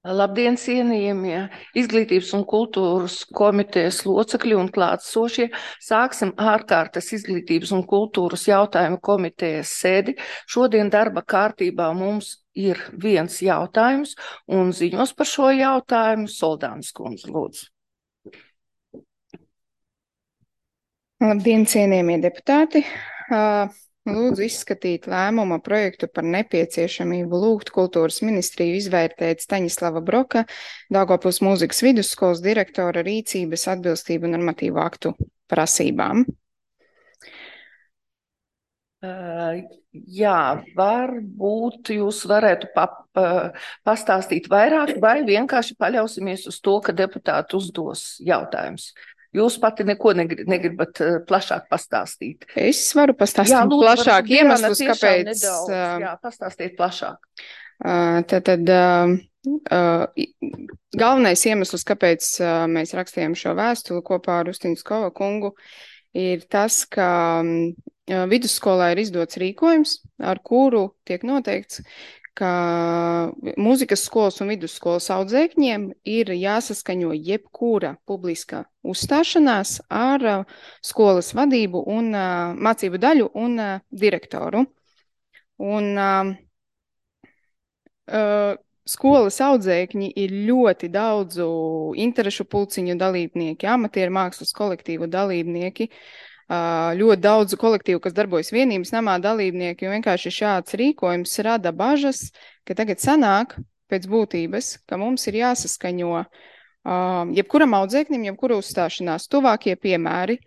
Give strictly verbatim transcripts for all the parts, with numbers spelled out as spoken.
Labdien, cienījamie Izglītības un kultūras komitejas locekļi un klātsošie. Sāksim ārkārtas Izglītības un kultūras jautājumu komitejas sēdi. Šodien darba kārtībā mums ir viens jautājums un ziņos par šo jautājumu Soldānas kundze, lūdzu. Labdien, cienījamie deputāti! Lūdzu izskatīt lēmuma projektu par nepieciešamību lūgt kultūras ministriju izvērtēt Staņislava Broka, Daugavpils mūzikas vidusskolas direktora rīcības atbilstību normatīvu aktu prasībām. Uh, jā, varbūt jūs varētu pa, pa, pastāstīt vairāk vai vienkārši paļausimies uz to, ka deputāti uzdos jautājumus. Jūs pati neko negri, negribat uh, plašāk pastāstīt. Es varu pastāstīt jā, lūdzu, plašāk iemeslus, kāpēc. Nedaudz, uh, jā, pastāstīt plašāk. Uh, tad, tad uh, uh, galvenais iemesls, kāpēc uh, mēs rakstījām šo vēstuli kopā ar Ustiņskova kungu, ir tas, ka um, vidusskolā ir izdots rīkojums, ar kuru tiek noteikts, ka mūzikas skolas un vidusskolas audzēkņiem ir jāsaskaņo jebkura publiska uzstāšanās ar uh, skolas vadību un uh, mācību daļu un uh, direktoru. Un uh, uh, skolas audzēkņi ir ļoti daudzu interešu pulciņu dalībnieki, amatieru mākslas kolektīvu dalībnieki, Uh, ļoti daudzu kolektīvu, kas darbojas vienības namā dalībnieki, un vienkārši šāds rīkojums rada bažas, ka tagad sanāk pēc būtības, ka mums ir jāsaskaņo uh, jebkuram audzēknim, jebkura uzstāšanās. Tuvākie piemēri.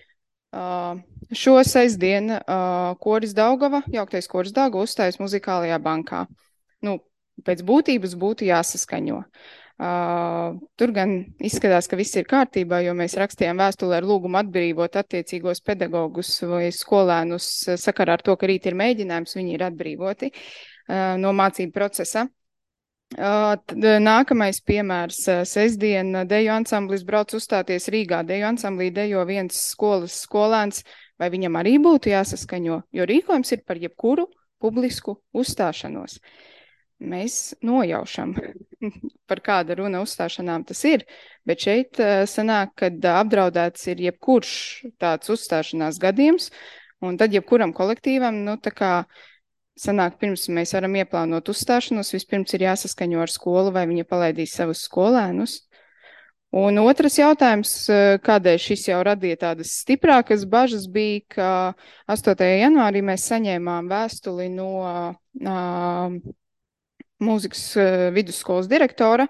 Uh, šo sestdien uh, koris Daugava, jauktais koris Daugava uzstājas muzikālajā bankā. Nu, pēc būtības būtu jāsaskaņo. Uh, tur gan izskatās, ka viss ir kārtībā, jo mēs rakstījām vēstuli ar lūgumu atbrīvot attiecīgos pedagogus vai skolēnus sakarā ar to, ka rīt ir mēģinājums, viņi ir atbrīvoti uh, no mācību procesa. Uh, tad, nākamais piemērs uh, sestdien deju ansamblis brauc uzstāties Rīgā. Deju ansamblī dejo viens skolas skolēns, vai viņam arī būtu jāsaskaņo, jo rīkojums ir par jebkuru publisku uzstāšanos. Mēs nojaušam, par kāda runa uzstāšanām tas ir, bet šeit uh, sanāk, kad apdraudēts ir jebkurš tāds uzstāšanās gadījums, un tad jebkuram kolektīvam, nu tā kā sanāk, pirms mēs varam ieplānot uzstāšanos, vispirms ir jāsaskaņo ar skolu, vai viņa palaidīs savus skolēnus. Un otrs jautājums, kādēļ šis jau radīja tādas stiprākas bažas, bija, ka astotajā janvārī mēs saņēmām vēstuli no uh, mūzikas uh, vidusskolas direktora,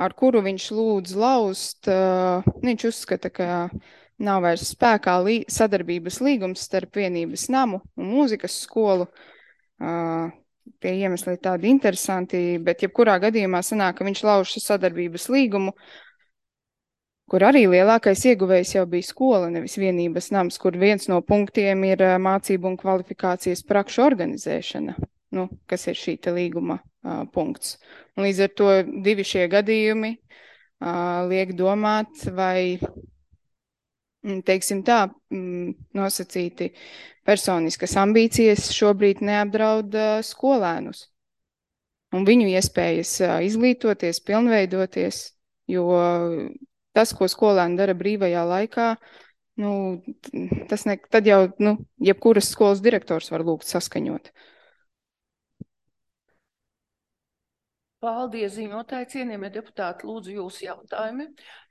ar kuru viņš lūdz laust, uh, viņš uzskata, ka nav vairs spēkā lī, sadarbības līgums starp vienības namu un mūzikas skolu. Uh, tie iemesli ir tādi interesanti, bet jebkurā gadījumā sanāk, ka viņš lauž sadarbības līgumu, kur arī lielākais ieguvējs jau bija skola, nevis vienības nams, kur viens no punktiem ir uh, mācību un kvalifikācijas prakšu organizēšana. Nu, kas ir šī te līguma uh, punkts. Un līdz ar to divi šie gadījumi uh, liek domāt, vai, teiksim tā, mm, nosacīti personiskas ambīcijas šobrīd neapdraud uh, skolēnus. Un viņu iespējas uh, izglītoties, pilnveidoties, jo tas, ko skolēni dara brīvajā laikā, nu, tas ne, tad jau, nu, jebkuras skolas direktors var lūgt saskaņot. Paldies, ziņotāji, cienījamie deputāti, lūdzu jūsu jautājumi.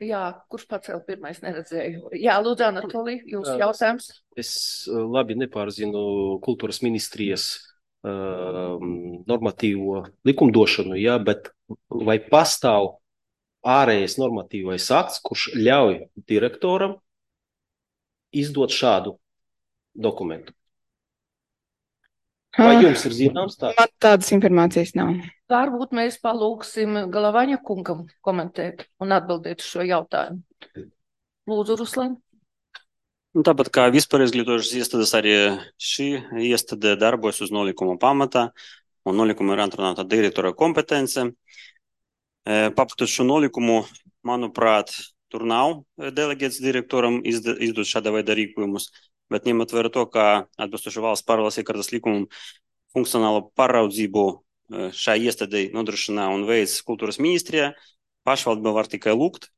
Jā, kurš pacēl pirmais neredzēju? Jā, lūdzu, Anatolij, jūsu jautājums. Es labi nepārzinu kultūras ministrijas uh, normatīvo likumdošanu, jā, bet vai pastāv ārējais normatīvais akts, kurš ļauj direktoram izdot šādu dokumentu? Vai jums ir zināms tā? Man tādas informācijas nav. Varbūt mēs palūksim Galavaņa kungam komentēt un atbildēt uz šo jautājumu. Lūdzu, Ruslan. Un tāpat kā vispār izglītojušas iestādes, arī šī iestāde darbojas uz nolikuma pamatā, un nolikuma ir atrunāta direktora kompetence. Papatot šo nolikumu, manuprāt, tur nav delegēts direktoram izdot šāda veida rīkojumus, bet ņemot vērā to, ka atbilstoši valsts pārvaldes iekārtas likumam funkcionālo pāraudzību šai iestādei nodrošina un veids kultūras ministrija, pašvaldība var tikai lūgt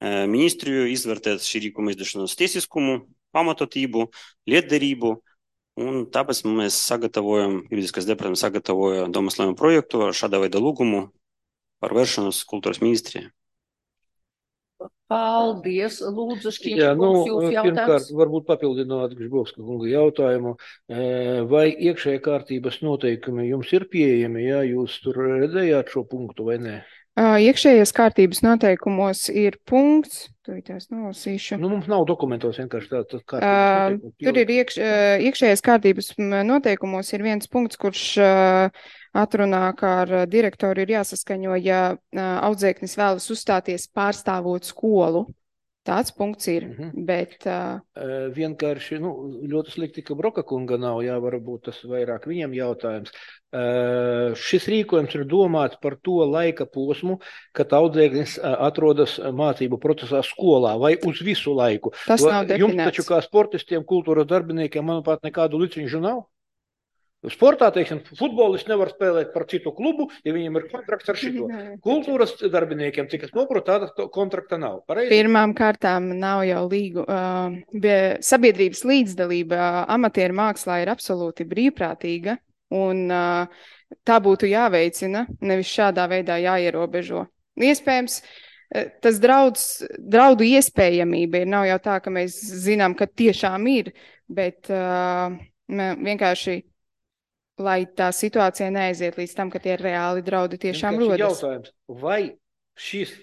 ministriju izvērtēt šī rīkuma izdošanas tiesiskumu, pamatotību, lietderību, un tāpēc mēs sagatavojam, juridiskais departaments sagatavoja domāslējumu projektu ar šāda veida lūgumu par vēršanos kultūras ministrijai. Paldies, Lūdzu, Šķiņš, Jā, nu, kungs, jūs pirmkārt, jautājums. varbūt papildināt Gžbovska kunga jautājumu, vai iekšējā kārtības noteikumi jums ir pieejami, ja jūs tur redzējāt šo punktu vai nē? Iekšējās kārtības noteikumos ir punkts, tūlītās nolasīšu. Nu, mums nav dokumentos vienkārši tā, tā kārtības Uh, noteikumi. tur ir iekš, uh, iekšējās kārtības noteikumos ir viens punkts, kurš uh, atrunā, kā ar direktoru ir jāsaskaņo, ja uh, audzēknis vēlas uzstāties pārstāvot skolu. Tāds punkts ir, Mhm. bet uh, Uh, vienkārši, nu, ļoti slikti, ka Broka kunga nav, jā, varbūt tas vairāk viņam jautājums. Uh, šis rīkojums ir domāts par to laika posmu, kad audzēknis uh, atrodas mācību procesā skolā vai uz visu laiku. tas Jo nav Jums definēts. taču kā sportistiem, kultūras darbiniekiem, manuprāt, nekādu liceņu nav? Sportā, teiksim, futbolists nevar spēlēt par citu klubu, ja viņiem ir kontrakts ar šito. Kultūras darbiniekiem, cik es noprotu, tāda to- kontrakta nav. Pareizi? Pirmām kārtām nav jau līgu, uh, be- sabiedrības līdzdalība uh, amatieru mākslā ir absolūti brīvprātīga, un uh, tā būtu jāveicina, nevis šādā veidā jāierobežo. Iespējams, uh, tas draudz, draudu iespējamība ir, nav jau tā, ka mēs zinām, ka tiešām ir, bet uh, mē- vienkārši, lai tā situācija neaiziet līdz tam, ka tie reāli draudi tiešām Vienkārši rodas. jautājums, vai šis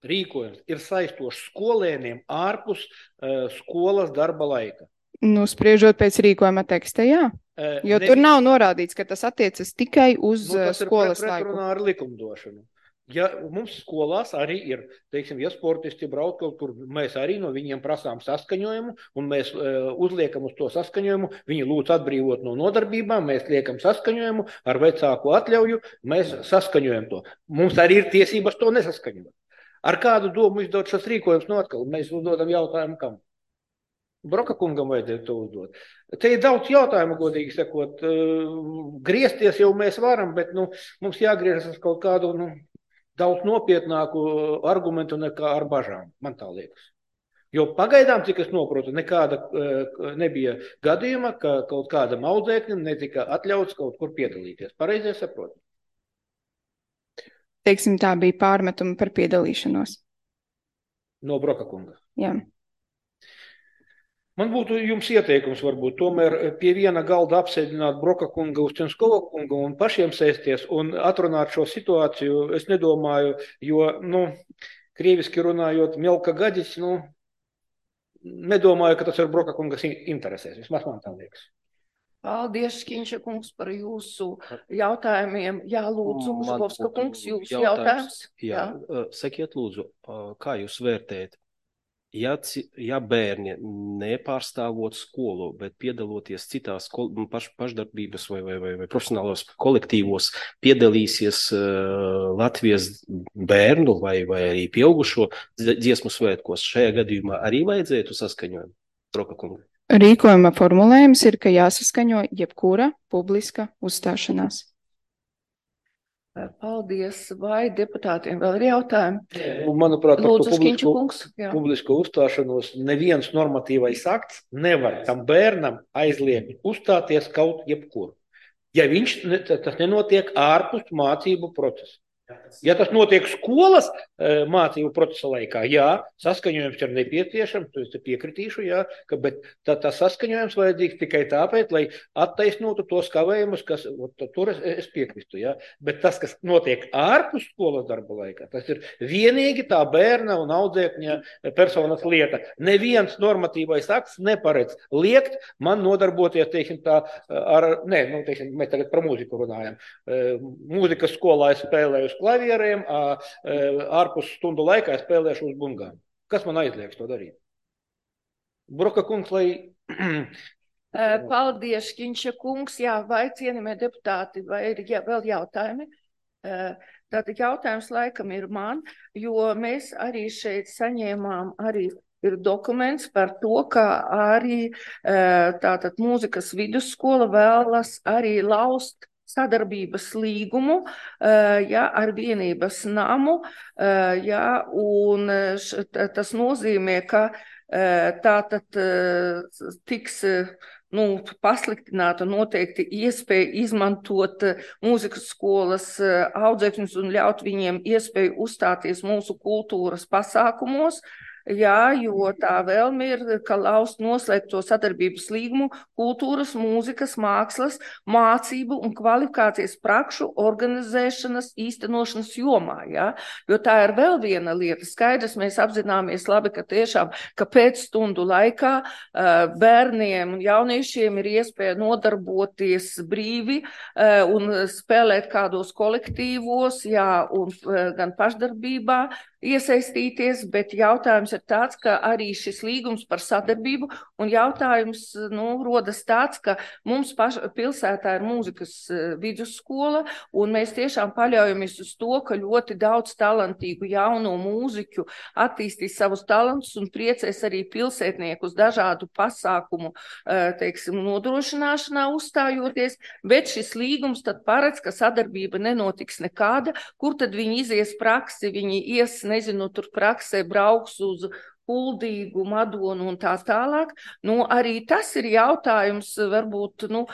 rīkojums ir saistošs skolēniem ārpus uh, skolas darba laika? Nu, spriežot pēc rīkojuma teksta, jā. Uh, Jo tur nav norādīts, ka tas attiecas tikai uz Nu, uh, tas ir skolas pret- laiku. pretrunā ar likumdošanu. Ja mums skolās arī ir, teiksim, ja sportisti brauc kaut kur, mēs arī no viņiem prasām saskaņojumu, un mēs uh, uzliekam uz to saskaņojumu, viņi lūdz atbrīvot no nodarbībām, mēs liekam saskaņojumu, ar vecāku atļauju, mēs saskaņojam to. Mums arī ir tiesības to nesaskaņot. Ar kādu domu izdot šos rīkojumus no atkal? Mēs uzdodam jautājumu kam? Broka kungam vajadzēja to uzdot. Te ir daudz jautājumu, godīgi sakot. Uh, griezties jau mēs varam, bet nu, mums jāgriežas uz kaut kādu nu, daudz nopietnāku argumentu nekā ar bažām, man tā liekas. Jo pagaidām, cik es noprotu, nekāda uh, nebija gadījuma, ka kaut kādam audzēknim netika atļauts kaut kur piedalīties. Pareizi saprotu? Teiksim, tā bija pārmetuma par piedalīšanos. No Broka kunga. Jā. Man būtu jums ieteikums varbūt tomēr pie viena galda apsēdināt Broka kunga, Ustenskova kunga un pašiem sēsties un atrunāt šo situāciju. Es nedomāju, jo, nu, krieviski runājot, Mielka Gadis, nu, nedomāju, ka tas ir Broka kungas interesēs. Vismaz man tā liekas. Paldies, Šķiņša kungs, par jūsu jautājumiem. Jā, Lūdzu, Man Žukovska būtu kungs, jūsu jautājums. Jā, uh, sakiet lūdzu, uh, kā jūs vērtējat? Ja, ci- ja bērni nepārstāvot skolu, bet piedaloties citās kol- nu, paš, pašdarbības vai, vai, vai, vai profesionālos kolektīvos, piedalīsies uh, Latvijas bērnu vai, vai arī pieaugušo dz- dziesmu svētkos, šajā gadījumā arī vajadzētu saskaņojumu? Broka kunga. Rīkojuma formulējums ir, ka jāsaskaņo jebkura publiska uzstāšanās. Paldies. Vai deputātiem vēl ir jautājumi? Nu, manuprāt, par to Lūdzu, Šķiņša publisko, kungs. Jā. publisko uzstāšanos neviens normatīvais akts nevar tam bērnam aizliegt uzstāties kaut jebkur. Ja viņš, ne- tas nenotiek ārpus mācību procesa. Ja tas notiek skolas eh, mācību procesa laikā, jā, saskaņojums ir nepieciešams, to es te piekritīšu, jā, ka, bet tā, tā saskaņojums vajadzīgs tikai tāpēc, lai attaisnotu tos kavējumus, kas, ot, tur es, es piekristu, jā, bet tas, kas notiek ārpus skolas darba laikā, tas ir vienīgi tā bērna un audzēkņa personas lieta. Neviens normatīvais akts neparedz liekt man nodarboties, teiksim, tā ar, ne, nu, teiksim, mēs tagad par mūziku runājam. Eh, Mūzikas skolā es spēlēju uz klavieriem, ā, ā, ārpus stundu laikā es spēlēšu uz bungām. Kas man aizliegs to darīt? Broka kungs, lai... Eh, Paldies, Šķiņša kungs. Jā, vai cienījamie deputāti, vai ir jā, vēl jautājumi? Eh, Tātad jautājums laikam ir man, jo mēs arī šeit saņēmām arī ir dokuments par to, ka arī eh, tātad mūzikas vidusskola vēlas arī laust sadarbības līgumu, ja, ar vienības namu, ja, un š, tas nozīmē, ka tātad tiks nu, pasliktināta noteikti iespēja izmantot mūzikas skolas audzēkņus un ļaut viņiem iespēju uzstāties mūsu kultūras pasākumos. Jā, jo tā vēlme ir, ka laust noslēgt to sadarbības līgumu kultūras, mūzikas, mākslas, mācību un kvalifikācijas prakšu organizēšanas, īstenošanas jomā. Jā. Jo tā ir vēl viena lieta. Skaidrs, mēs apzināmies labi, ka tiešām, ka pēc stundu laikā bērniem un jauniešiem ir iespēja nodarboties brīvi un spēlēt kādos kolektīvos, jā, un gan pašdarbībā iesaistīties, bet jautājums ir tāds, ka arī šis līgums par sadarbību un jautājums, nu, rodas tāds, ka mums paš, pilsētā ir mūzikas vidusskola un mēs tiešām paļaujamies uz to, ka ļoti daudz talantīgu jauno mūziķu attīstīs savus talantus un priecēs arī pilsētniekus dažādu pasākumu, teiksim, nodrošināšanā uzstājoties, bet šis līgums tad paredz, ka sadarbība nenotiks nekāda, kur tad viņi izies praksi, viņi ies nezinu, tur praksē brauks uz Kuldīgu, Madonu un tā tālāk. Nu, arī tas ir jautājums, varbūt, nu,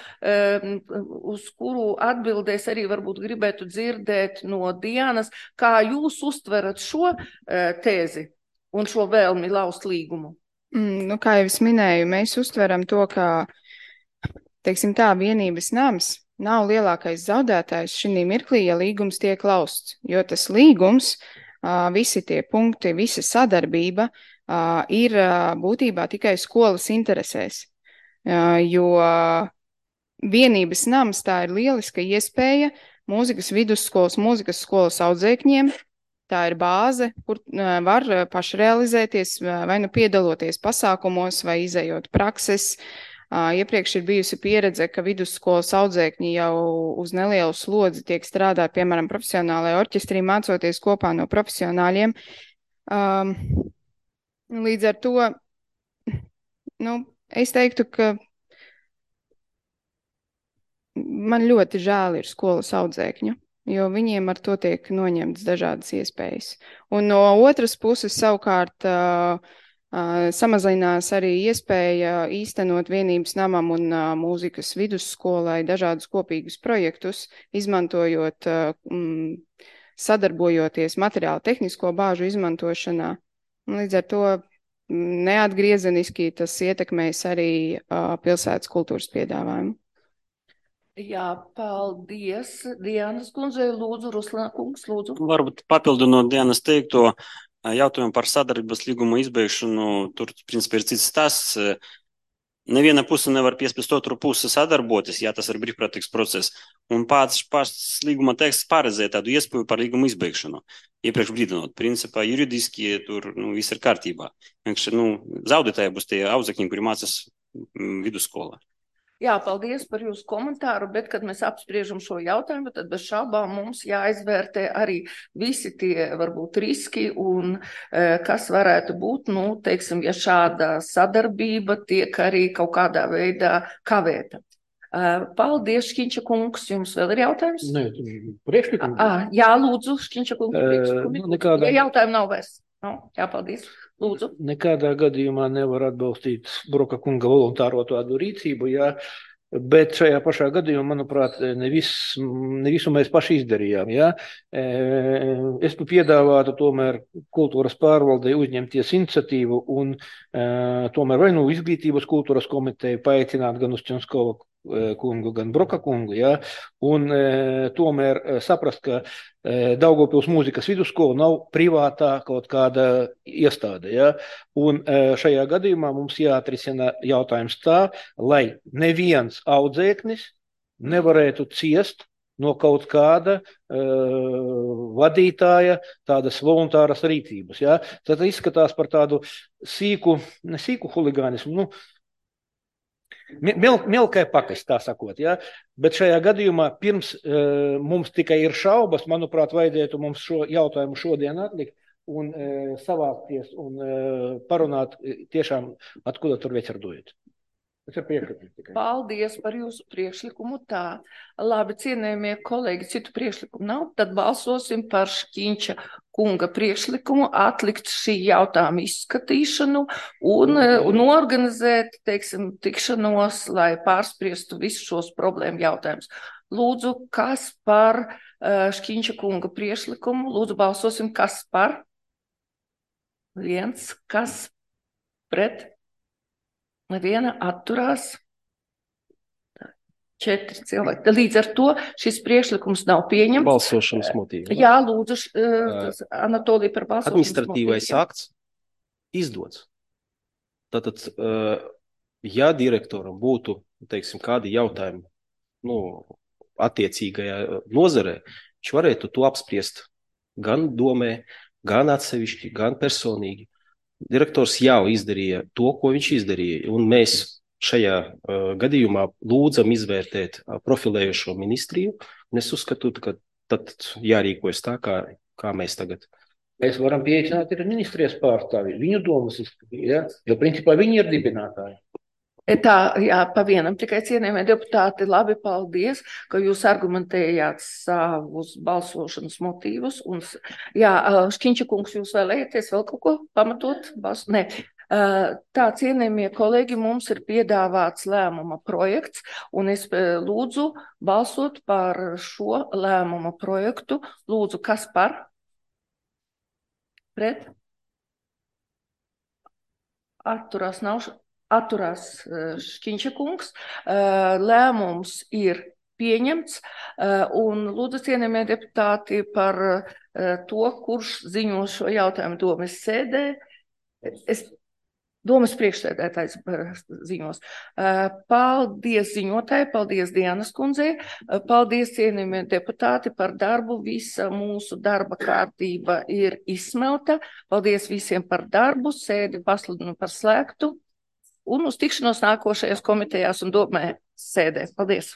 uz kuru atbildēs arī varbūt gribētu dzirdēt no Dianas, kā jūs uztverat šo tēzi un šo vēlmi laust līgumu? Mm, nu, kā jau es minēju, mēs uztveram to, ka, teiksim tā, vienības nams nav lielākais zaudētājs šī mirklī, ja līgums tiek lausts, jo tas līgums, visi tie punkti, visa sadarbība ir būtībā tikai skolas interesēs, jo vienības nams tā ir lieliska iespēja mūzikas vidusskolas, mūzikas skolas audzēkņiem, tā ir bāze, kur var pašrealizēties vai nu piedaloties pasākumos vai izējot prakses. Iepriekš ir bijusi pieredze, ka vidusskolas audzēkņi jau uz nelielu slodzi tiek strādāt, piemēram, profesionālajā orķestrī, mācoties kopā no profesionāļiem. Um, līdz ar to, nu, es teiktu, ka man ļoti žēl ir skolas audzēkņu, jo viņiem ar to tiek noņemts dažādas iespējas. Un no otras puses savukārt uh, Uh, samazinās arī iespēja īstenot vienības namam un uh, mūzikas vidusskolai dažādus kopīgus projektus, izmantojot, uh, mm, sadarbojoties materiālu tehnisko bāžu izmantošanā. Un līdz ar to mm, neatgriezeniski tas ietekmēs arī uh, pilsētas kultūras piedāvājumu. Jā, paldies. Dianas kundzei, lūdzu, Ruslāna kungs, lūdzu. Varbūt papildinot Dianas teikto, jautājumu par sadarbības līgumu izbeigšanu, tur, principā, ir cits tas. Neviena puse nevar piespiest otru pusi sadarboties, ja tas ir brīvprātīgs process. Un pats, pats līguma teksts paredzēja tādu iespēju par līgumu izbeigšanu. Iepriekš brīdinot, principā, juridiski tur nu, viss ir kārtībā. Vienkārši nu, zaudētāji būs tie audzēkņi, kuri mācās vidusskolā. Jā, paldies par jūsu komentāru, bet, kad mēs apspriežam šo jautājumu, tad bez šaubām mums jāizvērtē arī visi tie, varbūt, riski un kas varētu būt, nu, teiksim, ja šāda sadarbība tiek arī kaut kādā veidā kavēta. Paldies, Šķiņša kungs, jums vēl ir jautājums? Nē, priekšlikums. Jā, lūdzu, Šķiņša kungs, priekšlikumi. Uh, nekādā... Ja jautājumu nav vairs. No, jā, paldies. Lūdzu. Nekādā gadījumā nevar atbalstīt Broka kunga voluntāro tādu rīcību, jā, bet šajā pašā gadījumā, manuprāt, ne, vis, ne visu mēs paši izdarījām. Jā. Es piedāvātu tomēr kultūras pārvaldei uzņemties iniciatīvu un tomēr vai nu izglītības kultūras komiteju paaicināt gan uz Čenskova kungu, gan Broka kungu, jā, un e, tomēr saprast, ka e, Daugavpils mūzikas vidusskola nav privātā kaut kāda iestāde, jā, un e, šajā gadījumā mums jāatrisina jautājums tā, lai neviens audzēknis nevarētu ciest no kaut kāda uh, vadītāja tādas voluntāras rīcības, jā. Tad izskatās par tādu sīku, ne sīku huligānismu, nu, Mil, milkai pakas, tā sakot, ja? Bet šajā gadījumā pirms uh, mums tikai ir šaubas, manuprāt, vajadzētu mums šo jautājumu šodien atlikt un uh, savākties un uh, parunāt tiešām, откуда tur ветер дует. Tas ir priekšlikums tikai. Paldies par jūsu priekšlikumu. Tā, labi, cienējamie kolēģi, citu priekšlikumu nav, tad balsosim par Šķiņša kunga priekšlikumu atlikt šī jautājuma izskatīšanu un, un organizēt, teiksim, tikšanos, lai pārspriestu visus šos problēmu jautājumus. Lūdzu, kas par uh, Šķiņša kunga priekšlikumu? Lūdzu, balsosim, kas par? Viens, kas pret? Neviena atturās. Četri cilvēki. Līdz ar to šis priekšlikums nav pieņemts. Balsošanas motīvi. Jā, lūdzu, uh, Anatolija par balsošanas Administratīvais motīviem. akts izdots. Tātad, uh, ja direktoram būtu, teiksim, kādi jautājumi, nu, attiecīgajā nozarē, viņš varētu to apspriest gan domē, gan atsevišķi, gan personīgi. Direktors jau izdarīja to, ko viņš izdarīja, un mēs šajā uh, gadījumā lūdzam izvērtēt uh, profilējušo ministriju, un es uzskatu, ka tad jārīkojas tā, kā, kā mēs tagad. Mēs varam pieaicināt ir ministrijas pārstāvi, viņu domas izskatīt, ja? Jo principā viņi ir dibinātāji. Tā, jā, pa vienam tikai cienījamie deputāti, labi, paldies, ka jūs argumentējāt savus balsošanas motīvus. Un, jā, Šķiņša kungs, jūs vēlēties vēl kaut ko pamatot? Bals... Nē. Tā, cienījamie kolēģi, mums ir piedāvāts lēmuma projekts, un es lūdzu balsot par šo lēmuma projektu. Lūdzu, kas par? Pret? Atturās nav... Atturās Šķiņša kungs, lēmums ir pieņemts, un lūdzu cienījamie deputāti par to, kurš ziņo šo jautājumu domas sēdē. Es domas priekšsēdētājs ziņos. Paldies ziņotāji, paldies Dianas kundzei, paldies cienījamie deputāti par darbu, visa mūsu darba kārtība ir izsmelta. Paldies visiem par darbu, sēdi pasludinu par slēgtu. Un uz tikšanos nākošajās komitejās un domē sēdē. Paldies!